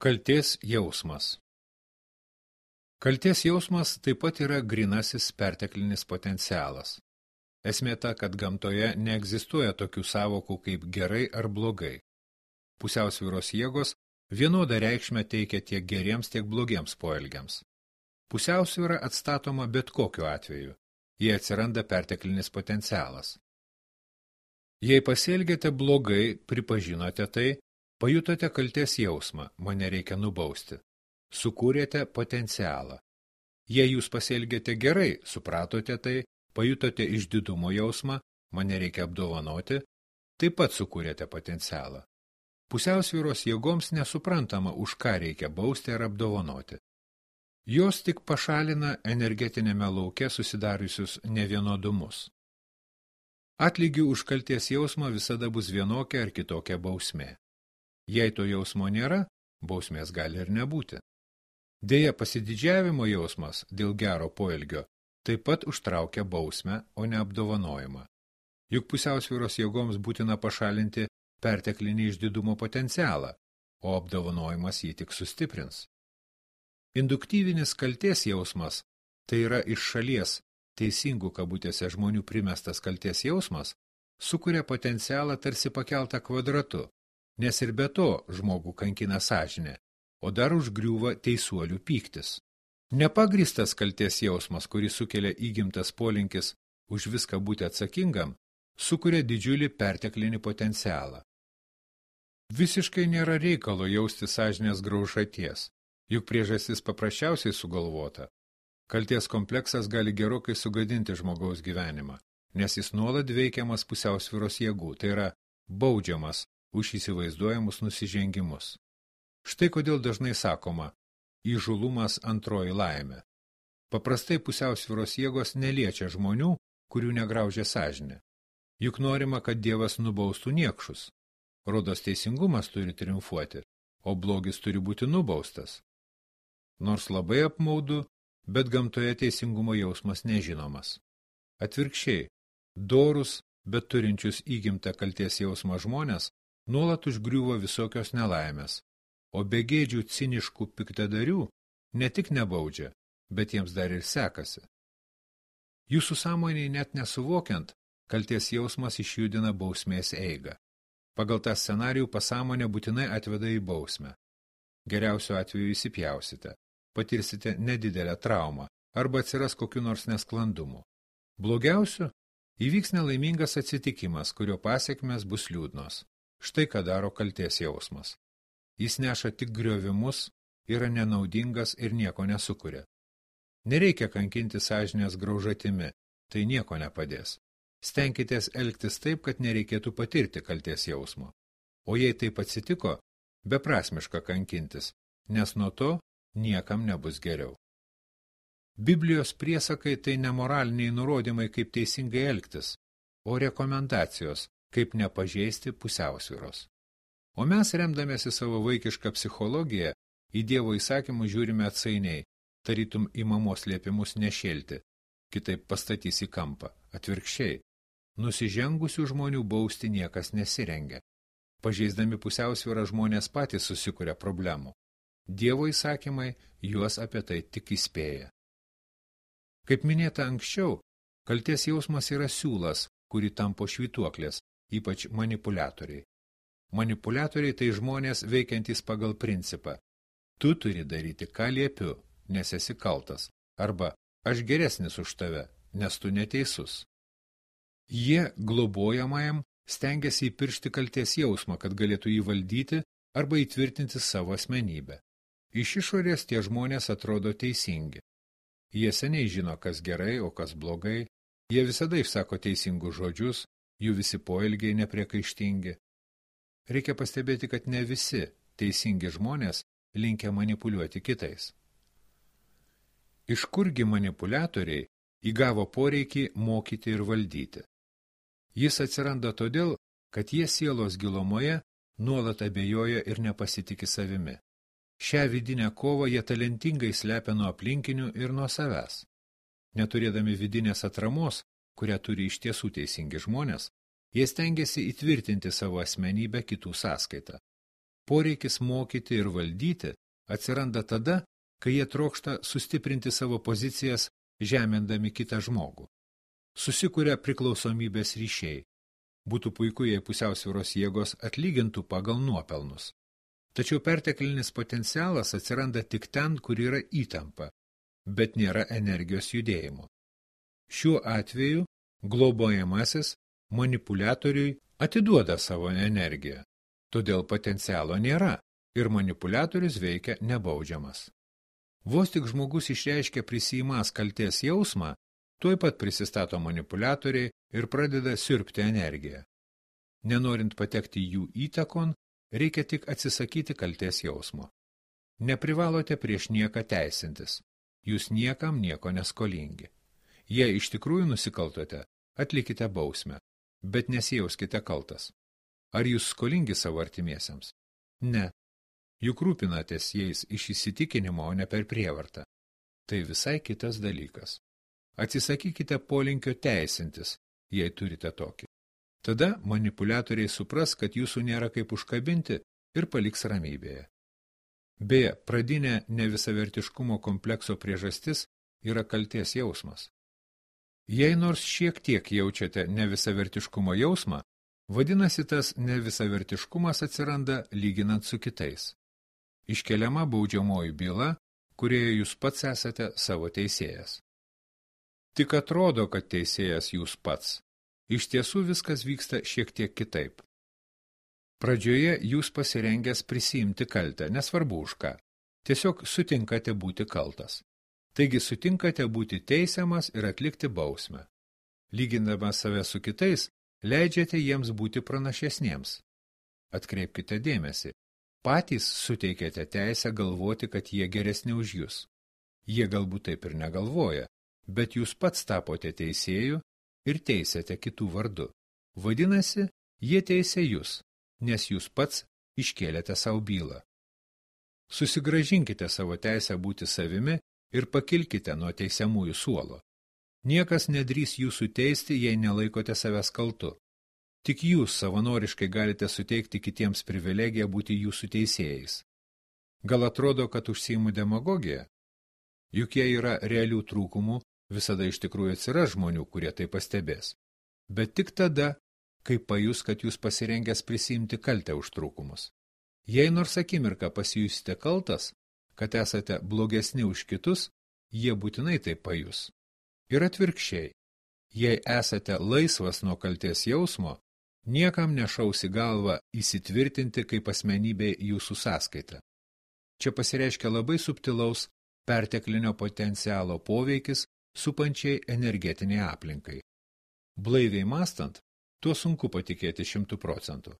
Kaltės jausmas. Kaltės jausmas taip pat yra grynasis perteklinis potencialas. Esmė ta, kad gamtoje neegzistuoja tokių sąvokų kaip gerai ar blogai. Pusiausvyros jėgos vienodą reikšmę teikia tiek geriems, tiek blogiems poelgiams. Pusiausvyra atstatoma bet kokiu atveju, jei atsiranda perteklinis potencialas. Jei pasielgėte blogai, pripažinote tai, pajutote kaltės jausmą, mane reikia nubausti. Sukūrėte potencialą. Jei jūs pasielgėte gerai, supratote tai, pajutote išdidumo jausmą, mane reikia apdovanoti, taip pat sukūrėte potencialą. Pusiausvyros jėgoms nesuprantama, už ką reikia bausti ar apdovanoti. Jos tik pašalina energetinėme lauke susidariusius nevienodumus. Atlygių už kaltės jausmą visada bus vienokia ar kitokia bausmė. Jei to jausmo nėra, bausmės gali ir nebūti. Deja, pasididžiavimo jausmas dėl gero poelgio taip pat užtraukia bausmę, o ne apdovanojimą. Juk pusiausvyros jėgoms būtina pašalinti perteklinį išdidumo potencialą, o apdovanojimas jį tik sustiprins. Induktyvinis kaltės jausmas, tai yra iš šalies teisingų kabutėse žmonių primestas kaltės jausmas, sukuria potencialą tarsi pakeltą kvadratu, nes ir be to žmogų kankina sąžinė, o dar užgriūva teisuolių pyktis. Nepagristas kaltės jausmas, kurį sukelia įgimtas polinkis už viską būti atsakingam, sukuria didžiulį perteklinį potencialą. Visiškai nėra reikalo jausti sąžinės graužaties, juk priežastis paprasčiausiai sugalvota. Kaltės kompleksas gali gerokai sugadinti žmogaus gyvenimą, nes jis nuolat veikiamas pusiausvyros jėgų, tai yra baudžiamas už įsivaizduojamus nusižengimus. Štai kodėl dažnai sakoma, įžūlumas antroji laimė. Paprastai pusiausvyros jėgos neliečia žmonių, kurių negraužia sąžinė. Juk norima, kad Dievas nubaustų niekšus. Rodos teisingumas turi triumfuoti, o blogis turi būti nubaustas. Nors labai apmaudu, bet gamtoje teisingumo jausmas nežinomas. Atvirkščiai, dorus, bet turinčius įgimtą kaltės jausmą žmonės, nuolat užgriuvo visokios nelaimės, o begėdžių ciniškų piktadarių ne tik nebaudžia, bet jiems dar ir sekasi. Jūsų sąmonėje net nesuvokiant, kaltės jausmas išjudina bausmės eigą. Pagal tą scenarijų pasąmonė būtinai atveda į bausmę. Geriausiu atveju įsipjausite, patirsite nedidelę traumą arba atsiras kokiu nors nesklandumu. Blogiausiu įvyks nelaimingas atsitikimas, kurio pasekmės bus liūdnos. Štai ką daro kaltės jausmas. Jis neša tik griovimus, yra nenaudingas ir nieko nesukuria. Nereikia kankinti sąžinės graužatimi, tai nieko nepadės. Stenkitės elgtis taip, kad nereikėtų patirti kaltės jausmo. O jei taip atsitiko, beprasmiška kankintis, nes nuo to niekam nebus geriau. Biblijos priesakai tai nemoraliniai nurodymai, kaip teisingai elgtis, o rekomendacijos, kaip nepažeisti pusiausvyros. O mes, remdamėsi savo vaikišką psichologiją, į Dievo įsakymus žiūrime atsainiai, tarytum į mamos liepimus nešėlti, kitaip pastatys į kampą. Atvirkščiai, nusižengusių žmonių bausti niekas nesirengia. Pažeisdami pusiausvyrą žmonės patys susikuria problemų. Dievo įsakymai juos apie tai tik įspėja. Kaip minėta anksčiau, kaltės jausmas yra siūlas, kurį tampo švytuoklės, ypač manipuliatoriai. Manipuliatoriai tai žmonės veikiantys pagal principą. Tu turi daryti, ką liepiu, nes esi kaltas, arba aš geresnis už tave, nes tu neteisus. Jie globojamajam stengiasi įpiršti kaltės jausmą, kad galėtų jį valdyti arba įtvirtinti savo asmenybę. Iš išorės tie žmonės atrodo teisingi. Jie seniai žino, kas gerai, o kas blogai. Jie visada išsako teisingus žodžius, jų visi poelgiai nepriekaištingi. Reikia pastebėti, kad ne visi teisingi žmonės linkę manipuliuoti kitais. Iš kurgi manipuliatoriai įgavo poreikį mokyti ir valdyti? Jis atsiranda todėl, kad jie sielos gilumoje nuolat abejoja ir nepasitiki savimi. Šią vidinę kovą jie talentingai slepia nuo aplinkinių ir nuo savęs. Neturėdami vidinės atramos, kurią turi iš tiesų teisingi žmonės, jie stengiasi įtvirtinti savo asmenybę kitų sąskaitą. Poreikis mokyti ir valdyti atsiranda tada, kai jie trokšta sustiprinti savo pozicijas, žemindami kitą žmogų. Susikuria priklausomybės ryšiai. Būtų puiku, jei pusiausvyros jėgos atlygintų pagal nuopelnus. Tačiau perteklinis potencialas atsiranda tik ten, kur yra įtampa, bet nėra energijos judėjimo. Šiuo atveju globojamasis manipuliatoriui atiduoda savo energiją, todėl potencialo nėra ir manipuliatorius veikia nebaudžiamas. Vos tik žmogus išreiškia prisiimąs kaltės jausmą, tuoj pat prisistato manipuliatoriai ir pradeda siurbti energiją. Nenorint patekti jų įtakon, reikia tik atsisakyti kaltės jausmo. Neprivalote prieš nieką teisintis. Jūs niekam nieko neskolingi. Jei iš tikrųjų nusikaltote, atlikite bausmę, bet nesijauskite kaltas. Ar jūs skolingi savo artimiesiems? Ne. Juk rūpinatės jais iš įsitikinimo, o ne per prievartą. Tai visai kitas dalykas. Atsisakykite polinkio teisintis, jei turite tokį. Tada manipuliatoriai supras, kad jūsų nėra kaip užkabinti ir paliks ramybėje. Beje, pradinė nevisavertiškumo komplekso priežastis yra kaltės jausmas. Jei nors šiek tiek jaučiate nevisavertiškumo jausmą, vadinasi tas nevisavertiškumas atsiranda lyginant su kitais. Iškeliama baudžiamoji byla, kurioje jūs pats esate savo teisėjas. Tik atrodo, kad teisėjas jūs pats. Iš tiesų viskas vyksta šiek tiek kitaip. Pradžioje jūs pasirengęs prisiimti kaltę, nesvarbu už ką. Tiesiog sutinkate būti kaltas. Taigi sutinkate būti teisiamas ir atlikti bausmę. Lygindamas save su kitais, leidžiate jiems būti pranašesniems. Atkreipkite dėmesį. Patys suteikėte teisę galvoti, kad jie geresni už jūs. Jie galbūt taip ir negalvoja, bet jūs pats tapote teisėju ir teisėte kitų vardu. Vadinasi, jie teisė jūs, nes jūs pats iškėlėte savo bylą. Susigrąžinkite savo teisę būti savimi ir pakilkite nuo teisiamųjų suolo. Niekas nedrįs jūsų teisti, jei nelaikote savęs kaltu. Tik jūs savanoriškai galite suteikti kitiems privilegiją būti jūsų teisėjais. Gal atrodo, kad užsiimu demagogiją? Juk jei yra realių trūkumų, visada iš tikrųjų atsiras žmonių, kurie tai pastebės. Bet tik tada, kai pajus, kad jūs pasirengęs prisiimti kaltę už trūkumus. Jei nors akimirką pasijusite kaltas, kad esate blogesni už kitus, jie būtinai tai pajus. Ir atvirkščiai, jei esate laisvas nuo kaltės jausmo, niekam nešaus į galvą įsitvirtinti kaip asmenybė jūsų sąskaita. Čia pasireiškia labai subtilaus perteklinio potencialo poveikis supančiai energetiniai aplinkai. Blaiviai mąstant, tuo sunku patikėti 100%.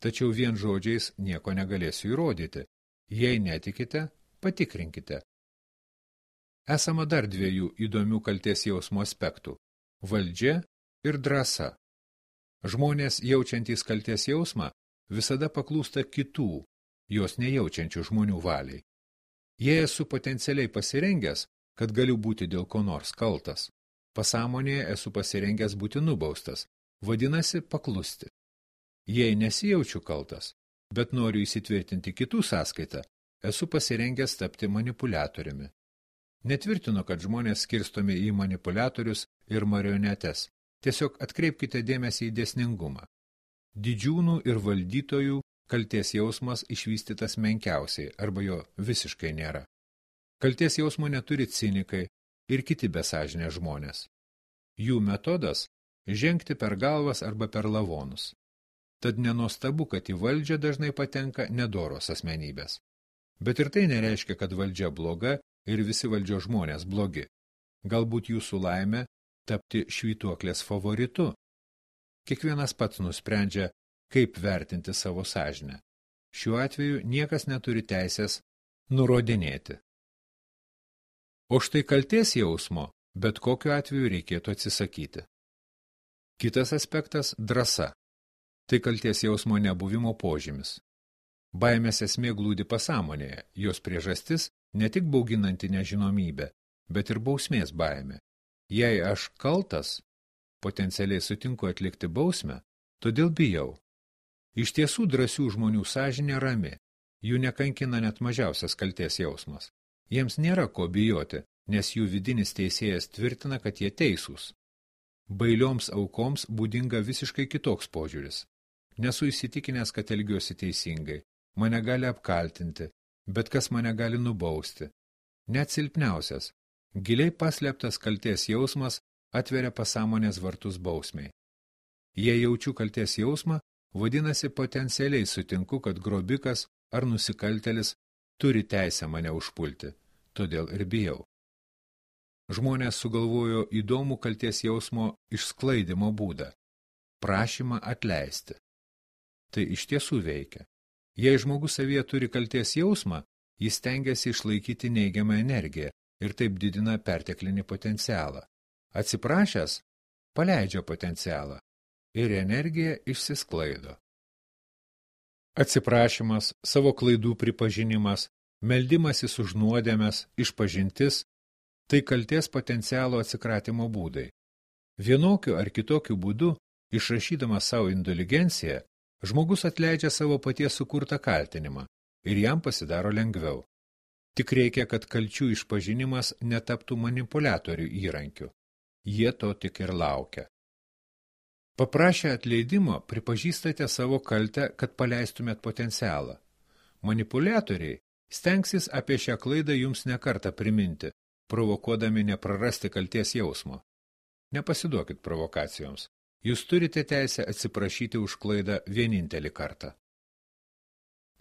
Tačiau vien žodžiais nieko negalėsiu įrodyti. Jei netikite, patikrinkite. Esama dar dviejų įdomių kaltės jausmo aspektų – valdžia ir drąsa. Žmonės jaučiantys kaltės jausmą visada paklūsta kitų, jos nejaučiančių žmonių valiai. Jei esu potencialiai pasirengęs, kad galiu būti dėl ko nors kaltas. Pasąmonėje esu pasirengęs būti nubaustas, vadinasi paklusti. Jei nesijaučiu kaltas, bet noriu įsitvirtinti kitų sąskaitą, esu pasirengęs tapti manipuliatoriumi. Netvirtinu, kad žmonės skirstomi į manipuliatorius ir marionetes. Tiesiog atkreipkite dėmesį į dėsningumą. Didžiūnų ir valdytojų kaltės jausmas išvystytas menkiausiai arba jo visiškai nėra. Kaltės jausmo neturi cinikai ir kiti besažinės žmonės. Jų metodas – žengti per galvas arba per lavonus. Tad nenuostabu, kad į valdžią dažnai patenka nedoros asmenybės. Bet ir tai nereiškia, kad valdžia bloga ir visi valdžios žmonės blogi. Galbūt jūsų laimė tapti švytuoklės favoritu. Kiekvienas pats nusprendžia, kaip vertinti savo sąžinę. Šiuo atveju niekas neturi teisės nurodinėti. O štai kaltės jausmo bet kokiu atveju reikėtų atsisakyti. Kitas aspektas – drąsa. Tai kaltės jausmo nebuvimo požymis. Baimės esmė glūdi pasąmonėje, jos priežastis ne tik bauginanti nežinomybė, bet ir bausmės baimė. Jei aš kaltas, potencialiai sutinku atlikti bausmę, todėl bijau. Iš tiesų drąsių žmonių sąžinė rami, Jų nekankina net mažiausias kaltės jausmas. Jiems nėra ko bijoti, nes jų vidinis teisėjas tvirtina, kad jie teisūs. Bailioms aukoms būdinga visiškai kitoks požiūris. Nesu įsitikinęs, kad elgiuosi teisingai. Mane gali apkaltinti, bet kas mane gali nubausti. Net silpniausias, giliai paslėptas kaltės jausmas atveria pasąmonės vartus bausmei. Jei jaučiu kaltės jausmą, vadinasi potencialiai sutinku, kad grobikas ar nusikaltelis turi teisę mane užpulti, todėl ir bijau. Žmonės sugalvojo įdomų kaltės jausmo išsklaidymo būdą – prašymą atleisti. Tai iš tiesų veikia. Jei žmogus savyje turi kaltės jausmą, jis stengiasi išlaikyti neigiamą energiją ir taip didina perteklinį potencialą. Atsiprašęs, paleidžia potencialą ir energija išsisklaido. Atsiprašymas, savo klaidų pripažinimas, meldimasis už nuodėmes, išpažintis – tai kaltės potencialo atsikratimo būdai. Vienokiu ar kitokiu būdu, išrašydamas savo indulgenciją, žmogus atleidžia savo paties sukurtą kaltinimą ir jam pasidaro lengviau. Tik reikia, kad kalčių išpažinimas netaptų manipuliatorių įrankiu. Jie to tik ir laukia. Paprašę atleidimo, pripažįstate savo kaltę, kad paleistumėt potencialą. Manipuliatoriai stengsis apie šią klaidą jums nekartą priminti, provokuodami neprarasti kalties jausmo. Nepasiduokit provokacijoms. Jūs turite teisę atsiprašyti už klaidą vienintelį kartą.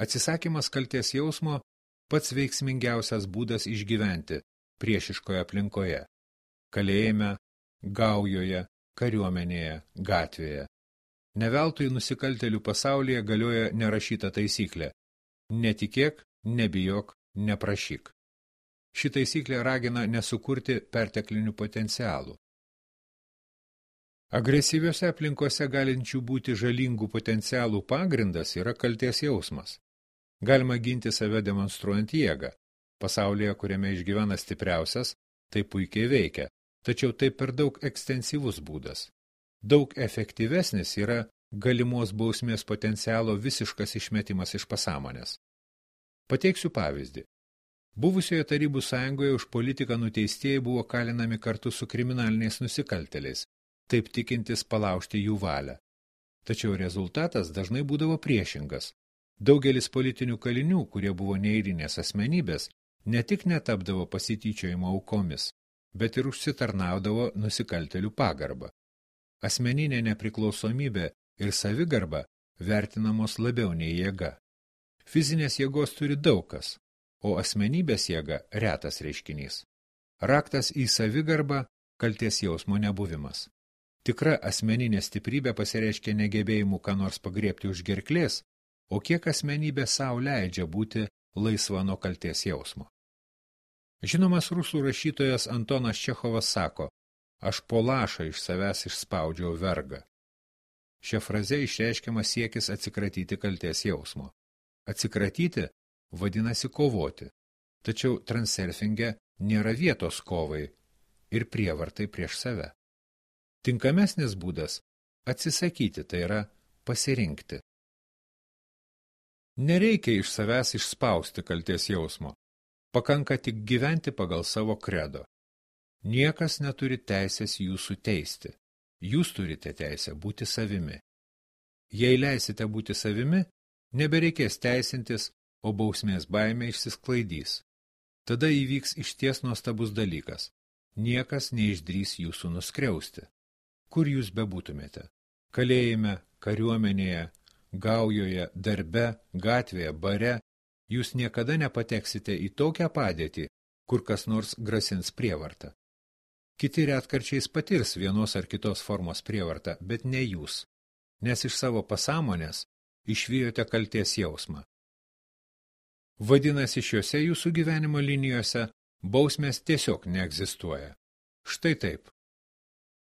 Atsisakymas kalties jausmo pats veiksmingiausias būdas išgyventi priešiškoje aplinkoje. Kalėjime, gaujoje, kariuomenėje, gatvėje. Neveltui nusikaltėlių pasaulyje galioja nerašyta taisyklė. Netikėk, nebijok, neprašyk. Ši taisyklė ragina nesukurti perteklinių potencialų. Agresyviose aplinkose galinčių būti žalingų potencialų pagrindas yra kaltės jausmas. Galima ginti save demonstruojant jėgą. Pasaulyje, kuriame išgyvena stipriausias, tai puikiai veikia, tačiau tai per daug ekstensyvus būdas. Daug efektyvesnis yra galimos bausmės potencialo visiškas išmetimas iš pasąmonės. Pateiksiu pavyzdį. Buvusioje Tarybų sąjungoje už politiką nuteistieji buvo kalinami kartu su kriminaliniais nusikaltėliais, taip tikintis palaužti jų valią. Tačiau rezultatas dažnai būdavo priešingas. Daugelis politinių kalinių, kurie buvo neeilinės asmenybės, ne tik netapdavo pasityčiojimo aukomis, bet ir užsitarnaudavo nusikaltėlių pagarbą. Asmeninė nepriklausomybė ir savigarba vertinamos labiau nei jėga. Fizinės jėgos turi daug kas, o asmenybės jėga retas reiškinys. Raktas į savigarbą – kaltės jausmo nebuvimas. Tikra asmeninė stiprybė pasireiškia negebėjimu ką nors pagriebti už gerklės, o kiek asmenybė savo leidžia būti laisva nuo kaltės jausmo. Žinomas rusų rašytojas Antonas Čechovas sako, aš po lašą iš savęs išspaudžiau vergą. Šia fraze išreiškiamas siekis atsikratyti kaltės jausmo. Atsikratyti vadinasi kovoti, tačiau transurfinge nėra vietos kovai ir prievartai prieš save. Tinkamesnis būdas – atsisakyti, tai yra pasirinkti. Nereikia iš savęs išspausti kaltės jausmo, pakanka tik gyventi pagal savo kredo. Niekas neturi teisės jūsų teisti, jūs turite teisę būti savimi. Jei leisite būti savimi, nebereikės teisintis, o bausmės baimė išsisklaidys. Tada įvyks išties nuostabus dalykas. Niekas neišdrys jūsų nuskriausti. Kur jūs bebūtumėte? Kalėjime, kariuomenėje, gaujoje, darbe, gatvėje, bare, jūs niekada nepateksite į tokią padėtį, kur kas nors grasins prievartą. Kiti retkarčiais patirs vienos ar kitos formos prievartą, bet ne jūs, nes iš savo pasąmonės išvijote kaltės jausmą. Vadinasi, šiuose jūsų gyvenimo linijose bausmės tiesiog neegzistuoja. Štai taip,